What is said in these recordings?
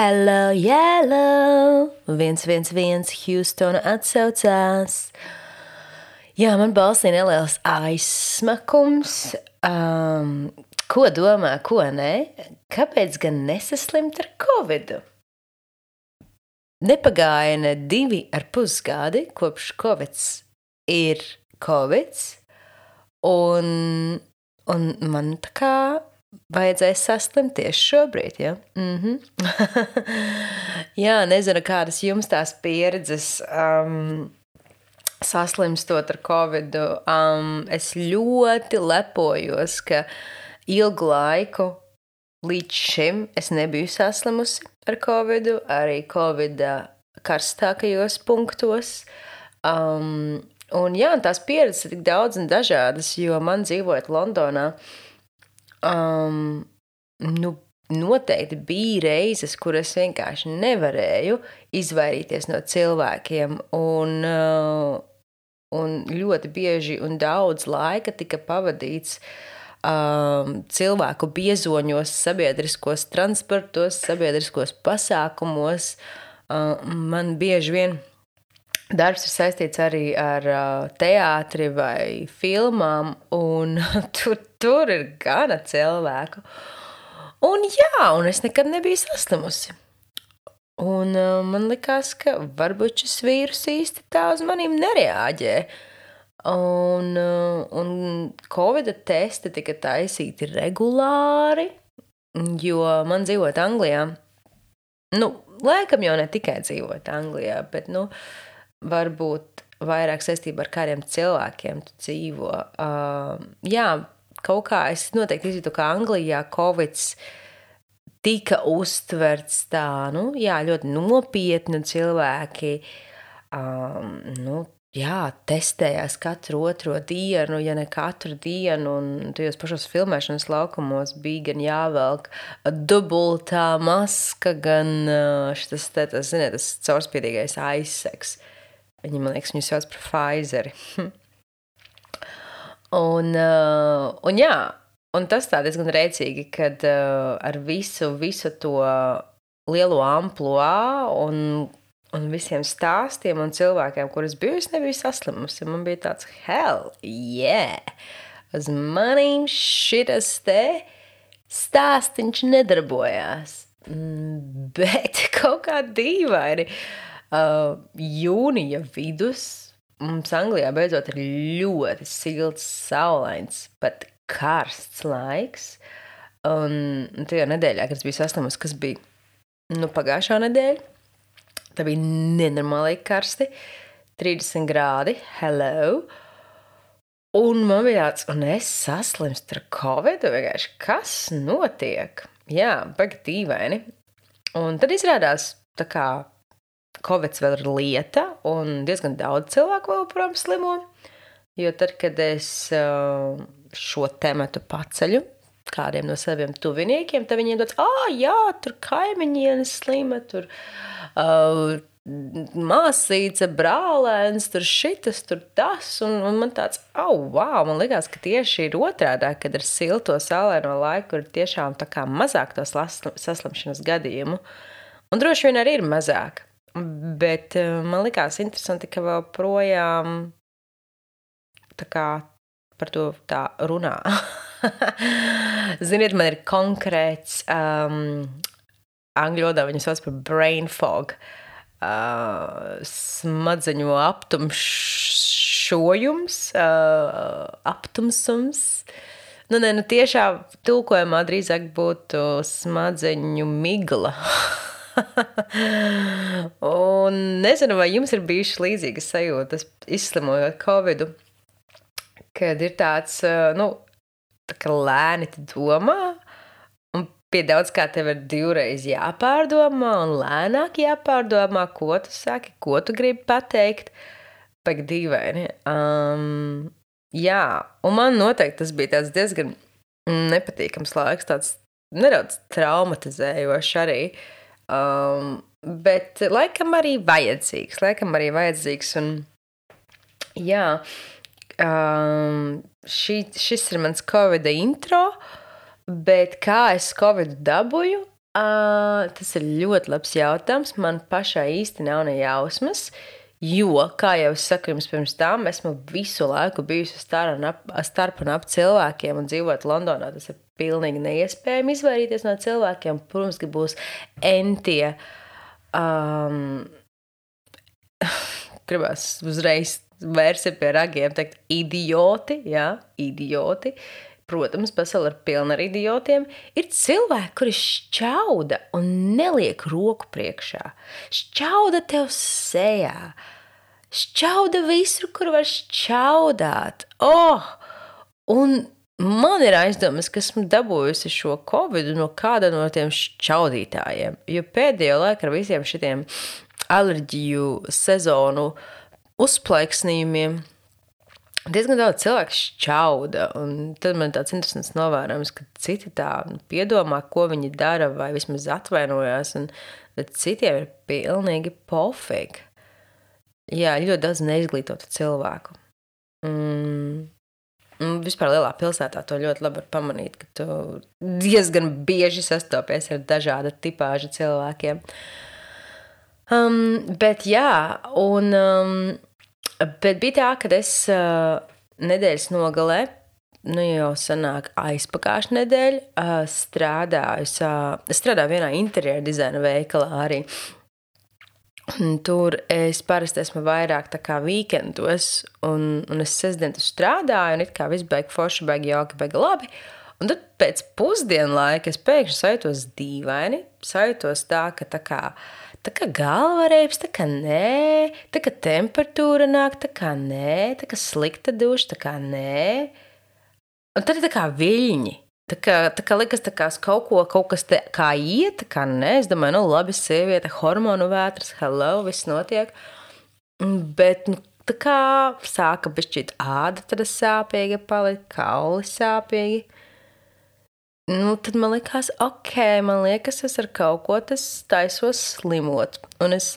Hello, yellow, 111 Houstona atsaucās. Jā, man balsī neliels aizsmakums. Ko domā, ko nē? Kāpēc gan nesaslimt ar covidu? Nepagāja ne 2,5 gadi, kopš covids ir covids, un man tā kā vajadzēja saslimt tieši šobrīd, ja? Jā, nezinu, kādas jums tās pieredzes saslimstot ar covidu. Es ļoti lepojos, ka ilgu laiku līdz šim es nebiju saslimusi ar covidu, arī covida karstākajos punktos. Un jā, tās pieredzes ir tik daudz un dažādas, jo man dzīvojot Londonā, noteikti bija reizes, kur es vienkārši nevarēju izvairīties no cilvēkiem, un ļoti bieži un daudz laika tika pavadīts cilvēku biezoņos, sabiedriskos transportos, sabiedriskos pasākumos. Man bieži vien darbs ir saistīts arī ar teātri vai filmām, un tur ir gana cilvēku. Un jā, un es nekad nebiju saslimusi. Un man likās, ka varbūt šis vīrus īsti tā uz manīm nereaģē. Un covida testi tika taisīti regulāri, jo man dzīvot Anglijā, laikam jau ne tikai dzīvot Anglijā, bet, varbūt vairāk saistībā ar kādiem cilvēkiem tu dzīvo. Jā, kaut kā es noteikti izjūtu, ka Anglijā covids tika uztverts tā, ļoti nopietni cilvēki, testējās katru otro dienu, ja ne katru dienu, un tajos pašos filmēšanas laukumos bija gan jāvelk dubultā maska, gan šitas, tas caurspīdīgais aizsegs. Viņi, man liekas, viņu sauc par Pfizeri. Un jā, un tas tā diezgan rēcīgi, kad ar visu to lielo amploā un visiem stāstiem un cilvēkiem, kurus biju, es nebiju saslimusi. Man bija tāds, hell yeah! Uz manīm šitas te stāstiņš nedarbojās. Bet kaut kā dīvaini. Jūnija vidus mums Anglijā beidzot ir ļoti silts, saulains, pat karsts laiks. Un tajā nedēļā, kad es biju saslimusi, kas bija pagājušā nedēļa, tā bija nenormāli karsti, 30 grādi, hello. Un man bija tāds, un es saslimstu ar covidu, vienkārši, kas notiek? Jā, baigi dīvaini. Un tad izrādās tā kā covids vēl ir lieta, un diezgan daudz cilvēku vēl joprojām slimo, jo tad, kad es šo tematu paceļu kādiem no saviem tuviniekiem, tad viņiem dod, jā, tur kaimiņiene slima, tur māsīca, brālēns, tur šitas, tur tas, un man tāds, wow, man likās, ka tieši ir otrādā, kad ar silto saulaino laiku ir tiešām tā kā mazāk to saslimšanas gadījumu, un droši vien arī ir mazāk. Bet man likās interesanti, ka vēl projām tā kā par to tā runā. Ziniet, man ir konkrēts angļu valodā viņu sauc par brain fog, smadzeņu aptumšojums, aptumsums. Tiešā tulkojumā drīzāk būtu smadzeņu migla. Un nezinu, vai jums ir bijušas līdzīgas sajūtas, izslimojot covidu, kad ir tāds, tā kā lēni tu domā, un pie daudz kā tev ir 2 reizi jāpārdomā, un lēnāk jāpārdomā, ko tu saki, ko tu gribi pateikt, pēc dīvaini. Jā, un man noteikti tas bija tāds diezgan nepatīkams laiks, tāds nedaudz traumatizējošs arī. Bet laikam arī vajadzīgs, un jā, šis ir mans covida intro, bet kā es covidu dabūju, Tas ir ļoti labs jautājums. Man pašai īsti nav ne jausmas, jo, kā jau es saku jums pirms tam, esmu visu laiku bijusi starp un ap cilvēkiem un dzīvot Londonā. Tas ir pilnīgi neiespējami izvairīties no cilvēkiem. Protams, ka būs entie, gribās uzreiz vērsi pie ragiem teikt idioti, jā, idioti. Protams, pasaule ir pilna ar idiotiem. Ir cilvēki, kuri šķauda un neliek roku priekšā. Šķauda tev sejā. Šķauda visur, kur var šķaudāt. Un man ir aizdomas, ka esmu dabūjusi šo Covid no kāda no tiem šķaudītājiem. Jo pēdējo laiku ar visiem šitiem alerģiju sezonu uzplaiksnījumiem diezgan daudz cilvēku šķauda, un tad man tāds interesants novērojums, ka citi tā piedomā, ko viņi dara, vai vismaz atvainojās, bet citiem ir pilnīgi pofīgi. Jā, ļoti daudz neizglītotu cilvēku. Vispār lielā pilsētā to ļoti labi var pamanīt, ka tu diezgan bieži sastopies ar dažāda tipāža cilvēkiem. Bet jā, bet bija tā, kad es nedēļas nogalē, jau sanāk aizpagājušu nedēļu, strādāju vienā interjera dizaina veikalā arī. Un tur es parasti esmu vairāk tā kā weekendos, un es sestdien strādāju, un it kā viss beiga forši, beiga jauki, beiga labi. Un tad pēc pusdienu laika es pēkšņi sajūtos dīvaini, sajūtos tā, ka tā kā galva reips, tā kā nē, tā kā temperatūra nāk, tā kā nē, tā kā slikta duša, tā kā nē. Un tad ir tā kā viļņi. Tā kā likas, tā kā kaut kas te kā iet, tā kā nē. Es domāju, labi, sieviete, hormonu vētras, hello, viss notiek. Bet, tā kā sāka bišķīt āda, tad sāpīga palika, kauli sāpīgi. Tad man likās, man liekas, es ar kaut ko tas taisos slimot. Un es...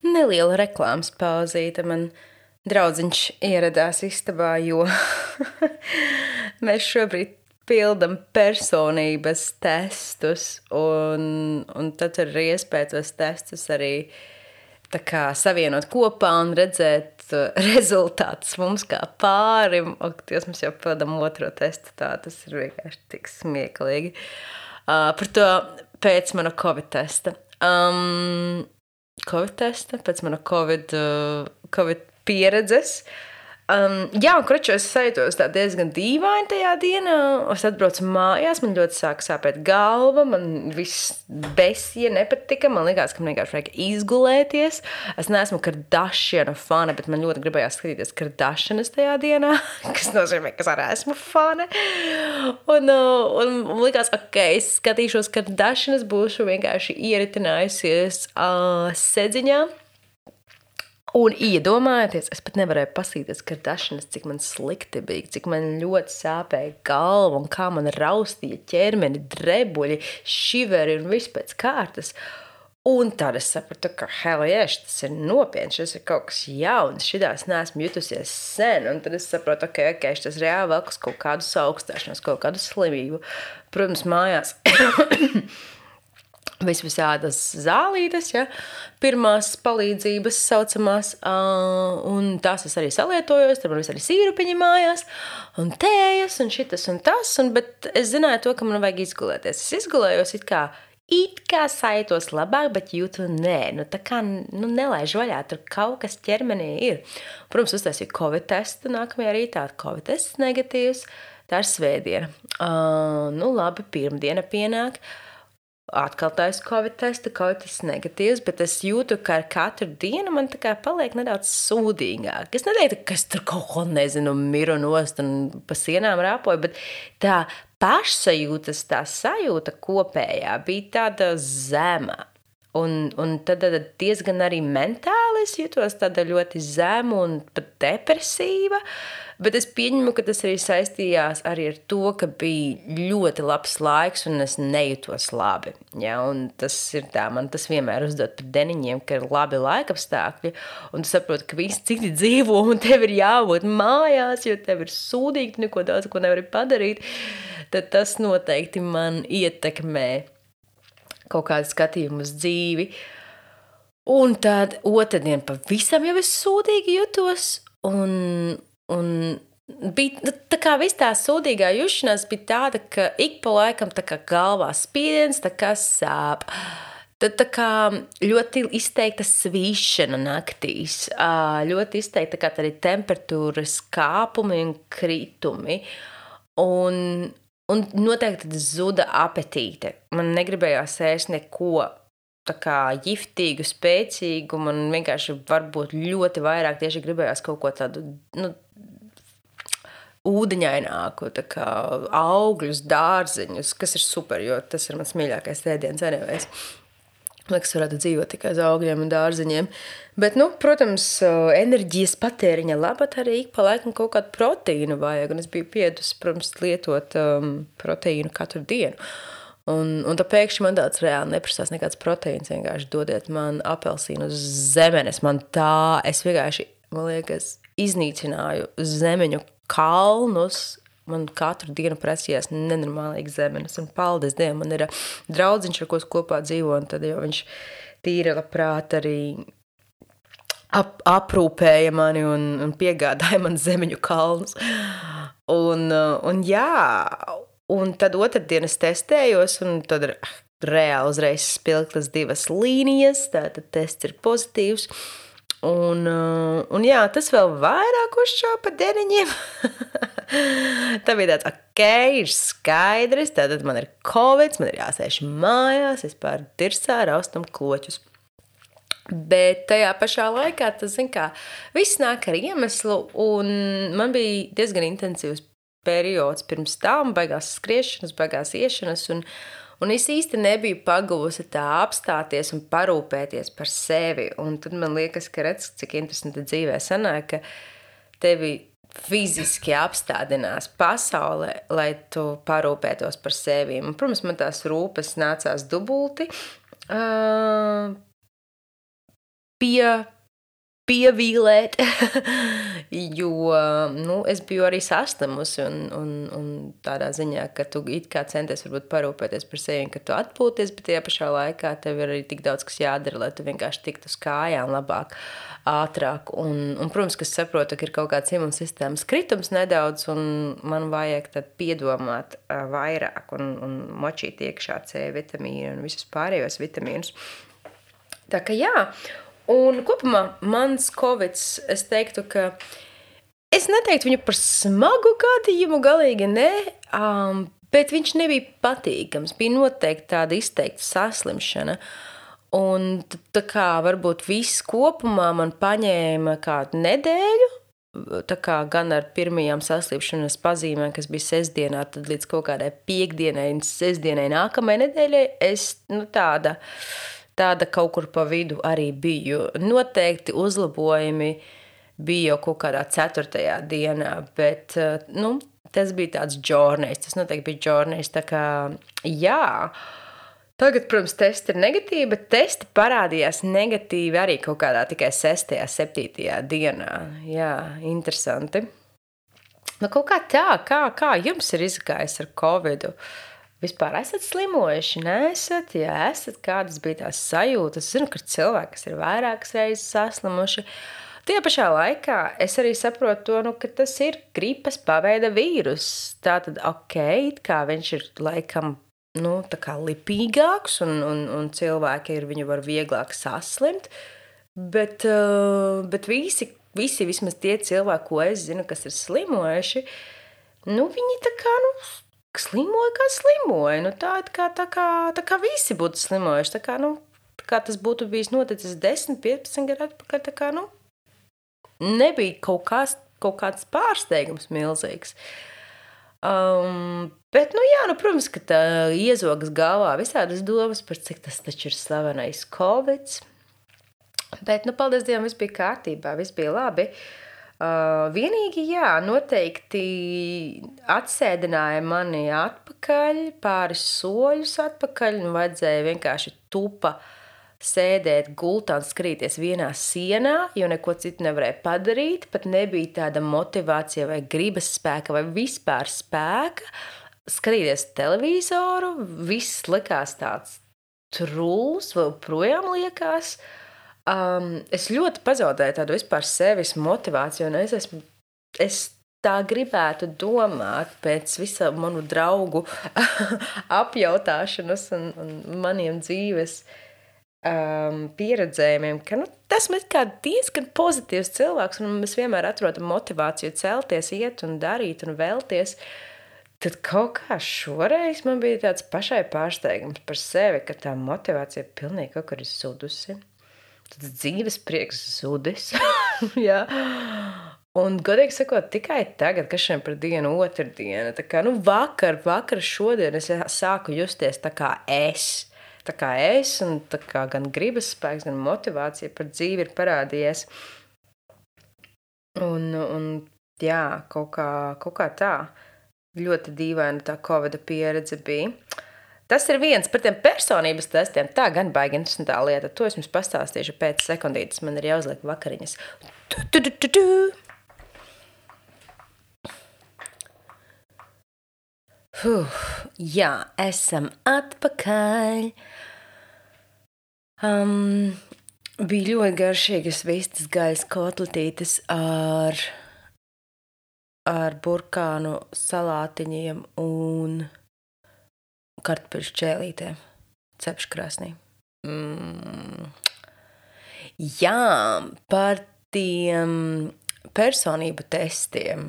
Neliela reklāmas pauzīte. Man draudziņš ieradās istabā, jo mēs šobrīd pildam personības testus, un tad tur ir iespēja tos testus arī tā kā savienot kopā un redzēt rezultātus mums kā pārim. Mēs jau pildam otro testu, tas ir vienkārši tik smieklīgi. Par to pēc mana Covid testa. Pēc mana Covid pieredzes. Jā, un kroču es sajūtos tā diezgan dīvaini tajā dienā. Es atbraucu mājās, man ļoti sāka sāpēt galva, man viss besija nepatika, man likās, ka man vienkārši vajag izgulēties. Es neesmu Kardashianu fane, bet man ļoti gribējās skatīties Kardashianas tajā dienā, kas nozīmē, ka es arī esmu fane. Un likās, es skatīšos Kardashianas, būšu vienkārši ieritinājusies sedziņā. Un iedomājieties, es pat nevarēju pasīties Kardashianas, cik man slikti bija, cik man ļoti sāpēja galva un kā man raustīja ķermeni, drebuļi, šiveri un viss pēc kārtas. Un tad es sapratu, ka tas ir nopietni, šis ir kaut kas jauns, šitās neesmu jutusies sen. Un tad es saprotu, šis reāli vēl kaut kādu saaugstēšanos, kaut kādu slimību. Protams, mājās... visādas zālītes, ja, pirmās palīdzības saucamās, un tās es arī salietojos, tad man arī sīrupiņi mājās, un tējas, un šitas un tas, bet es zināju to, ka man vajag izgulēties. Es izgulējos it kā sajūtos labāk, bet jūtu nē, tā kā nelaiž vaļā, tur kaut kas ķermenī ir. Protams, uztaisīju Covid testu, nākamajā rītā Covid tests negatīvs, tā ir svētdiena. Labi, pirmdiena pienāk. Atkal taisa Covid testu, Covid tests negatīvs, bet es jūtu, ka ar katru dienu man tā kā paliek nedaudz sūdīgāk. Es neteiktu, ka es tur kaut ko nezinu, miru nost un pa sienām rāpoju, bet tā pašsajūtas, tā sajūta kopējā bija tāda zema. Un tad diezgan arī mentāli reāli es jutos tāda ļoti zema un pat depresīva, bet es pieņemu, ka tas arī saistījās arī ar to, ka bija ļoti labs laiks un es nejutos labi. Ja, un tas ir tā, man tas vienmēr uzdod par deniņiem, ka ir labi laikapstākļi, un tu saproti, ka visi citi dzīvo un tev ir jābūt mājās, jo tev ir sūdīgi, tu neko daudz ko nevari padarīt, tad tas noteikti man ietekmē kaut kādu skatījumu uz dzīvi. Un tad otrdien pavisam jau es sūdīgi jutos, un bija tā kā viss tā sūdīgā jušanās bija tāda, ka ik pa laikam tā kā galvā spiediens, tā kā sāp. Tad tā kā ļoti izteikta svīšana naktīs, ļoti izteikta kā arī temperatūras kāpumi un kritumi. Un noteikti zuda apetīte. Man negribējās ēst neko tā kā jiftīgu, spēcīgu, man vienkārši varbūt ļoti vairāk tieši gribējās kaut ko tādu, ūdeņaināku, tā kā augļus, dārzeņus, kas ir super, jo tas ir mans mīļākais ēdiens anyways. Liekas, varētu dzīvot tikai uz augļiem un dārzeņiem. Bet, protams, enerģijas patēriņa labāk arī ik pa laikam kaut kādu proteīnu vajag, un es biju piedusi, protams, lietot proteīnu katru dienu. Un tā pēkšņi man tāds reāli neprasās nekāds proteīns, vienkārši dodiet man apelsīnu uz zemenes. Es vienkārši, man liekas, iznīcināju zemeņu kalnus. Man katru dienu prasījās nenormālīgi zemenes, un paldies Dievam, man ir draudziņš, ar ko kopā dzīvo, un tad jau viņš tīri labprāt arī aprūpēja mani un piegādāja man zemeņu kalnus. Un jā, un tad otrdien es testējos, un tad reāli uzreiz spilgtas 2 līnijas, tātad tests ir pozitīvs. Un jā, tas vēl vairāk uzšāva pa deniņiem. Tā bija tāds, ir skaidrs, tātad man ir covid, man ir jāsēž mājās, es pār dirsā raustam kloķus. Bet tajā pašā laikā, tas, zin kā, viss nāk ar iemeslu, un man bija diezgan intensīvs periods pirms tam, baigās skriešanas, baigās iešanas, un es īsti nebiju pagavusi tā apstāties un parūpēties par sevi. Un tad man liekas, ka redz, cik interesanti dzīvē sanāk, ka tevi fiziski apstādinās pasaulē, lai tu parūpētos par sevi. Un, protams, man tās rūpes nācās dubulti pievīlēt, jo es biju arī saslimusi un tādā ziņā, ka tu it kā centies varbūt parūpēties par sevi, ka tu atpūties, bet tajā pašā laikā tev ir arī tik daudz, kas jādara, lai tu vienkārši tiktu uz kājām labāk, ātrāk. Un protams, ka es saprotu, ka ir kaut kāds imunsistēmas kritums nedaudz, un man vajag tad piedomāt vairāk un močīt iekšā C vitamīnu un visus pārējos vitamīnus. Tā ka jā. Un kopumā mans covids, es teiktu, ka es neteiktu viņu par smagu gadījumu, galīgi ne, bet viņš nebija patīkams, bija noteikti tāda izteikta saslimšana. Un tā kā varbūt viss kopumā man paņēma kādu nedēļu, tā kā gan ar pirmajām saslimšanas pazīmēm, kas bija sestdienā, tad līdz kaut kādai piekdienai un sestdienai nākamajai nedēļai, es tāda kaut kur pa vidu arī biju. Noteikti uzlabojumi bija jau kaut kādā 4. dienā, bet, tas bija tāds džornejs, tas noteikti bija džornejs, tā kā, jā. Tagad, protams, testi ir negatīvi, bet testi parādījās negatīvi arī kaut kādā tikai 6. 7. dienā. Jā, interesanti. Kaut kā tā, kā jums ir izgājis ar covidu? Vispār esat slimojuši, neesat? Ja esat, kādas bija tās sajūtas? Es zinu, ka cilvēki, kas ir vairākas reizes saslimuši. Tajā pašā laikā es arī saprotu to, ka tas ir gripas paveida vīrus. Tātad, kā viņš ir laikam, tā kā lipīgāks un cilvēki viņu var vieglāk saslimt, bet visi vismaz tie cilvēki, ko es zinu, kas ir slimojuši, viņi tā kā, slimoja, kā slimoja. Tā kā visi būtu slimojuši. Tā kā tas būtu bijis noticis 10, 15 gadu atpakaļ, tā kā, nebija kaut kāds pārsteigums milzīgs. Bet, protams, ka tā iezogas galvā visādas domas par cik tas taču ir slavenais covids. Bet, paldies Dievam, viss bija kārtībā, viss bija labi. Vienīgi, jā, noteikti atsēdināja mani atpakaļ, pāris soļus atpakaļ, vajadzēja vienkārši tupa sēdēt gultā un skrīties vienā sienā, jo neko citu nevarēja padarīt, pat nebija tāda motivācija vai gribas spēka vai vispār spēka skatīties televizoru, viss likās tāds trulls, vēl projām liekas. Es ļoti pazaudēju tādu vispār sevis motivāciju, un es tā gribētu domāt pēc visu manu draugu apjautāšanas un maniem dzīves pieredzējumiem, ka tas ir kā diezgan pozitīvs cilvēks, un mēs vienmēr atrodam motivāciju celties, iet un darīt un vēlties. Tad kaut kā šoreiz man bija tāds pašai pārsteigums par sevi, ka tā motivācija pilnīgi kaut kur ir zudusi. Tad dzīves prieks zudis. Jā. Un, godīgi sakot, tikai tagad, kas šiem par dienu otrdiena, tā kā, vakar šodien es sāku justies tā kā es, un tā kā gan gribas spēks, gan motivācija par dzīvi ir parādījies. Un jā, kaut kā tā. Ļoti dīvaina tā Covida pieredze bija. Tas ir viens par tiem personības testiem. Tā gan baigi interesantā lieta. To es jums pastāstīšu pēc sekundītes. Man ir jāuzliek vakariņas. Jā, esam atpakaļ. Bija ļoti garšīgas vistas gaļas kotletītes ar burkānu salātiņiem un kartupeļu šķēlītēm cepškrāsnī. Jā, par tiem personību testiem.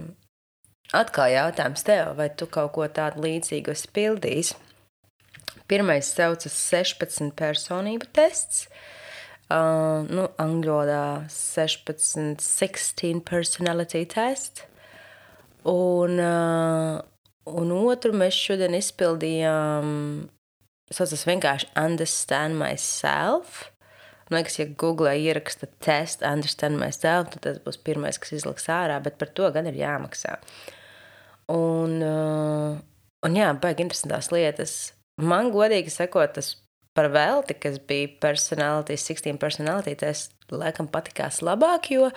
Atkal jautājums tev, vai tu kaut ko tādu līdzīgu esi pildījis? Pirmais saucas 16 personību tests. Angļodā 16 personality test. Un otru mēs šodien izpildījām, saucas vienkārši Understand Myself. Man liekas, ja Googlē ieraksta test Understand Myself, tad tas būs pirmais, kas izliks ārā, bet par to gan ir jāmaksā. Un jā, baigi interesantās lietas. Man godīgi sakot, tas par velti, kas bija 16 personality test, laikam patikās labāk, jo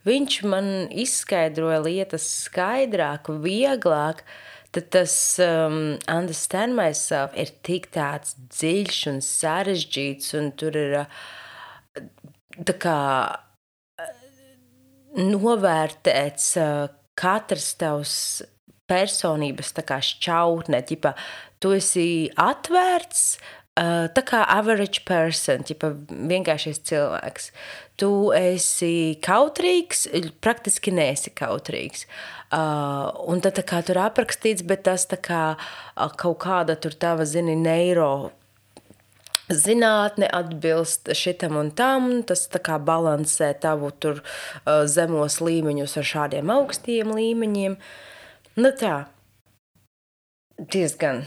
viņš man izskaidroja lietas skaidrāk, vieglāk, tad tas Understand Myself ir tik tāds dziļš un sarežģīts, un tur ir tā kā novērtēts katrs tavs personības tā kā šķautne, ķipa, tu esi atvērts, tā kā average person, ķipa, vienkāršais cilvēks. Tu esi kautrīgs, praktiski neesi kautrīgs. Un tad tā kā tur aprakstīts, bet tas tā kā kaut kāda tur tava, neiro zinātne atbilst šitam un tam, tas tā kā balansē tavu tur zemos līmeņus ar šādiem augstiem līmeņiem. Tā, diezgan.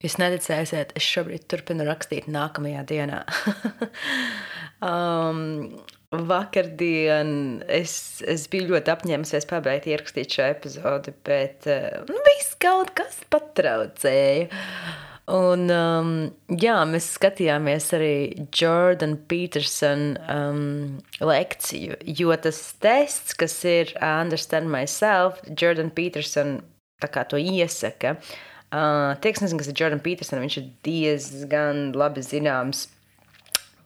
Jūs neticēsiet, es šobrīd turpinu rakstīt nākamajā dienā. Vakardien es biju ļoti apņēmusies pabeigt ierakstīt šo epizodi, bet viss kaut kas patraucēja. Un jā, mēs skatījāmies arī Jordan Peterson lekciju, jo tas tests, kas ir Understand Myself, Jordan Peterson tā kā to iesaka. Tie, kas nezinu, kas ir Jordan Peterson, viņš ir diezgan labi zināms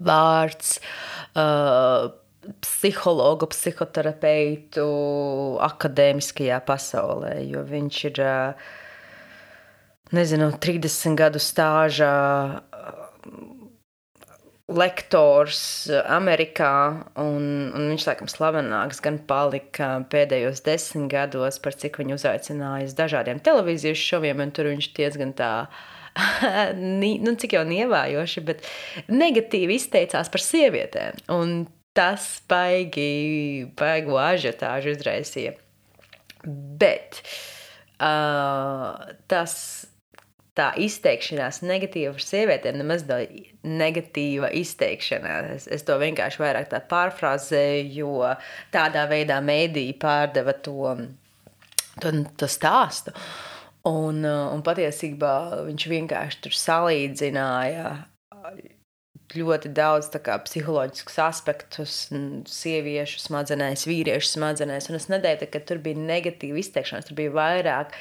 vārds psihologu, psihoterapeitu akadēmiskajā pasaulē, jo viņš ir, 30 gadu stāžā lektors Amerikā, un viņš, laikam, slavenāks gan palika pēdējos 10 gados, par cik viņu uzaicināja uz dažādiem televīzijas šoviem, un tur viņš diezgan tā, cik jau nievājoši, bet negatīvi izteicās par sievietēm, un tas baigu ažiotāžu izraisīja. Bet tā izteikšanās negatīva par sievietēm nemaz negatīva izteikšanās. Es to vienkārši vairāk tā pārfrāzēju, jo tādā veidā mēdīji pārdeva to stāstu. Un patiesībā viņš vienkārši tur salīdzināja ļoti daudz tā kā psiholoģiskus aspektus sieviešu smadzenēs, vīriešu smadzenēs, un es neteiktu, ka tur bija negatīva izteikšanās, tur bija vairāk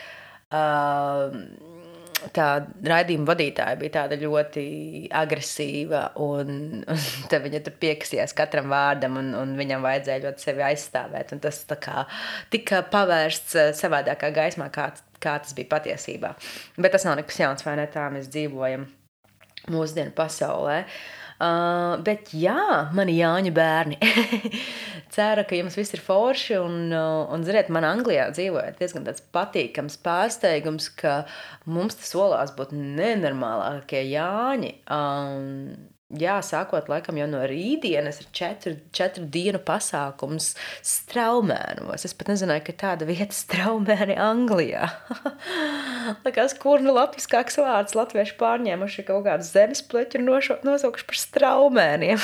tā raidījuma vadītāja bija tāda ļoti agresīva, un tad viņa tur piekasījās katram vārdam, un viņam vajadzēja ļoti sevi aizstāvēt, un tas tā kā tika pavērsts savādākā gaismā, kā tas bija patiesībā. Bet tas nav nekas jauns, vai ne, tā mēs dzīvojam mūsdienu pasaulē. Bet jā, mani Jāņu bērni. Ceru, ka jums viss ir forši, un ziniet, man Anglijā dzīvojot diezgan tāds patīkams pārsteigums, ka mums tas solās būt nenormālākie Jāņi. Jā, sākot laikam jau no rītdienas ir 4 dienu pasākums Straumēnos. Es pat nezināju, ka tāda vieta Straumēni Anglijā. Likās, kur latviskāks vārds latvieši pārņēmuši kaut kādu zemes pleķu un nosaukuši par Straumēniem.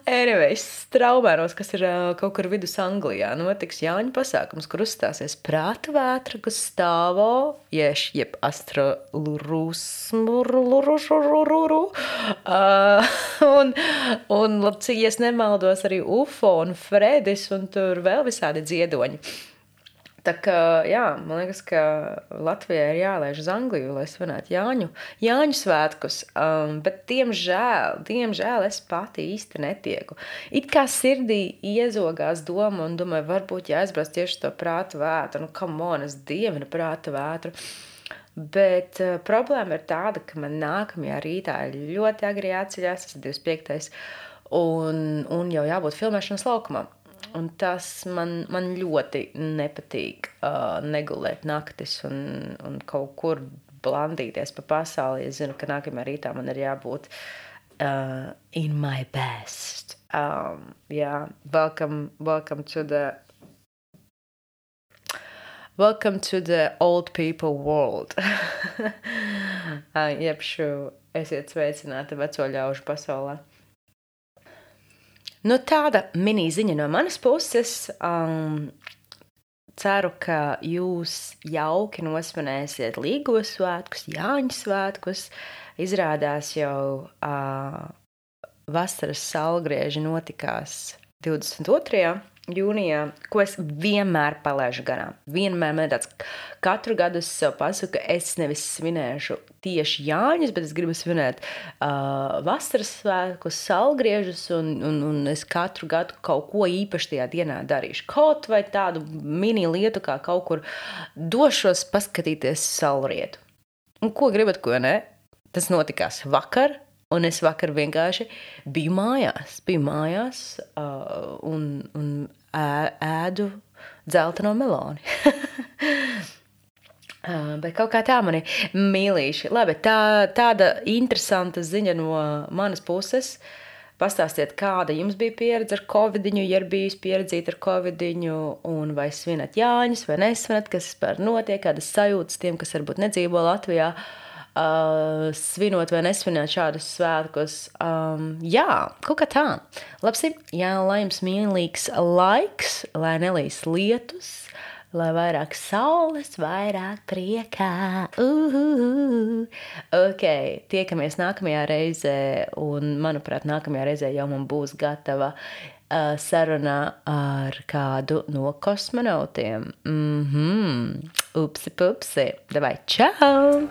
Anyways, Straumēnos, kas ir kaut kur vidus Anglijā, notiks Jāņu pasākums, kur uzstāsies Prāta Vētra, Gustavo, jeb Astrolurusmurururururu, un, ja es nemaldos, arī Ufo un Fredis, un tur vēl visādi dziedoņi. Tā kā, jā, man liekas, ka Latvijā ir jālaiž uz Angliju, lai svinētu Jāņu svētkus, bet diemžēl es pati īsti netieku. It kā sirdī iezogās doma un domāju, varbūt jāizbrauc tieši to Prāta Vētru, come on, es dievinu Prāta Vētru. Bet problēma ir tāda, ka man nākamajā rītā ir ļoti agri jāceļās, tas ir 25. un jau jābūt filmēšanas laukumā. Un tas man ļoti nepatīk negulēt naktis un kaut kur blandīties pa pasauli. Es zinu, ka nākamajā rītā man ir jābūt in my best. Yeah, welcome to the old people world. Jebšu, esiet sveicināti veco ļaužu pasaulē. Tāda mini ziņa no manas puses. Ceru, ka jūs jauki nosvinēsiet Līgos svētkus, Jāņu svētkus. Izrādās jau vasaras saulgrieži notikās 22. jūnijā, ko es vienmēr palaižu garām. Vienmēr man tāds, katru gadu es sev pasaku, ka es nevis svinēšu tieši Jāņus, bet es gribu svinēt vasaras svētkus, saulgriežus, un es katru gadu kaut ko īpaši tajā dienā darīšu. Kaut vai tādu mini lietu, kā kaut kur došos paskatīties saulrietu. Un ko gribat, ko ne? Tas notikās vakar. Un es vakar vienkārši biju mājās un ēdu dzelteno meloni. Bet kaut kā tā mani mīlīši. Labi, tāda interesanta ziņa no manas puses. Pastāstiet, kāda jums bija pieredze ar covidiņu, ja ir bijis pieredzīta ar covidiņu, un vai svinat Jāņus, vai nesvinat, kas vispār notiek, kādas sajūtas tiem, kas varbūt nedzīvo Latvijā. Svinot vai nesvinot šādus svētkus. Jā, kaut kā tā. Labsi, jā, lai jums mīlīgs laiks, lai nelīs lietus, lai vairāk saules, vairāk priekā. Ok, tiekamies nākamajā reizē, un, manuprāt, nākamajā reizē jau man būs gatava sarunā ar kādu no kosmonautiem. Upsi pupsi. Davai, čau!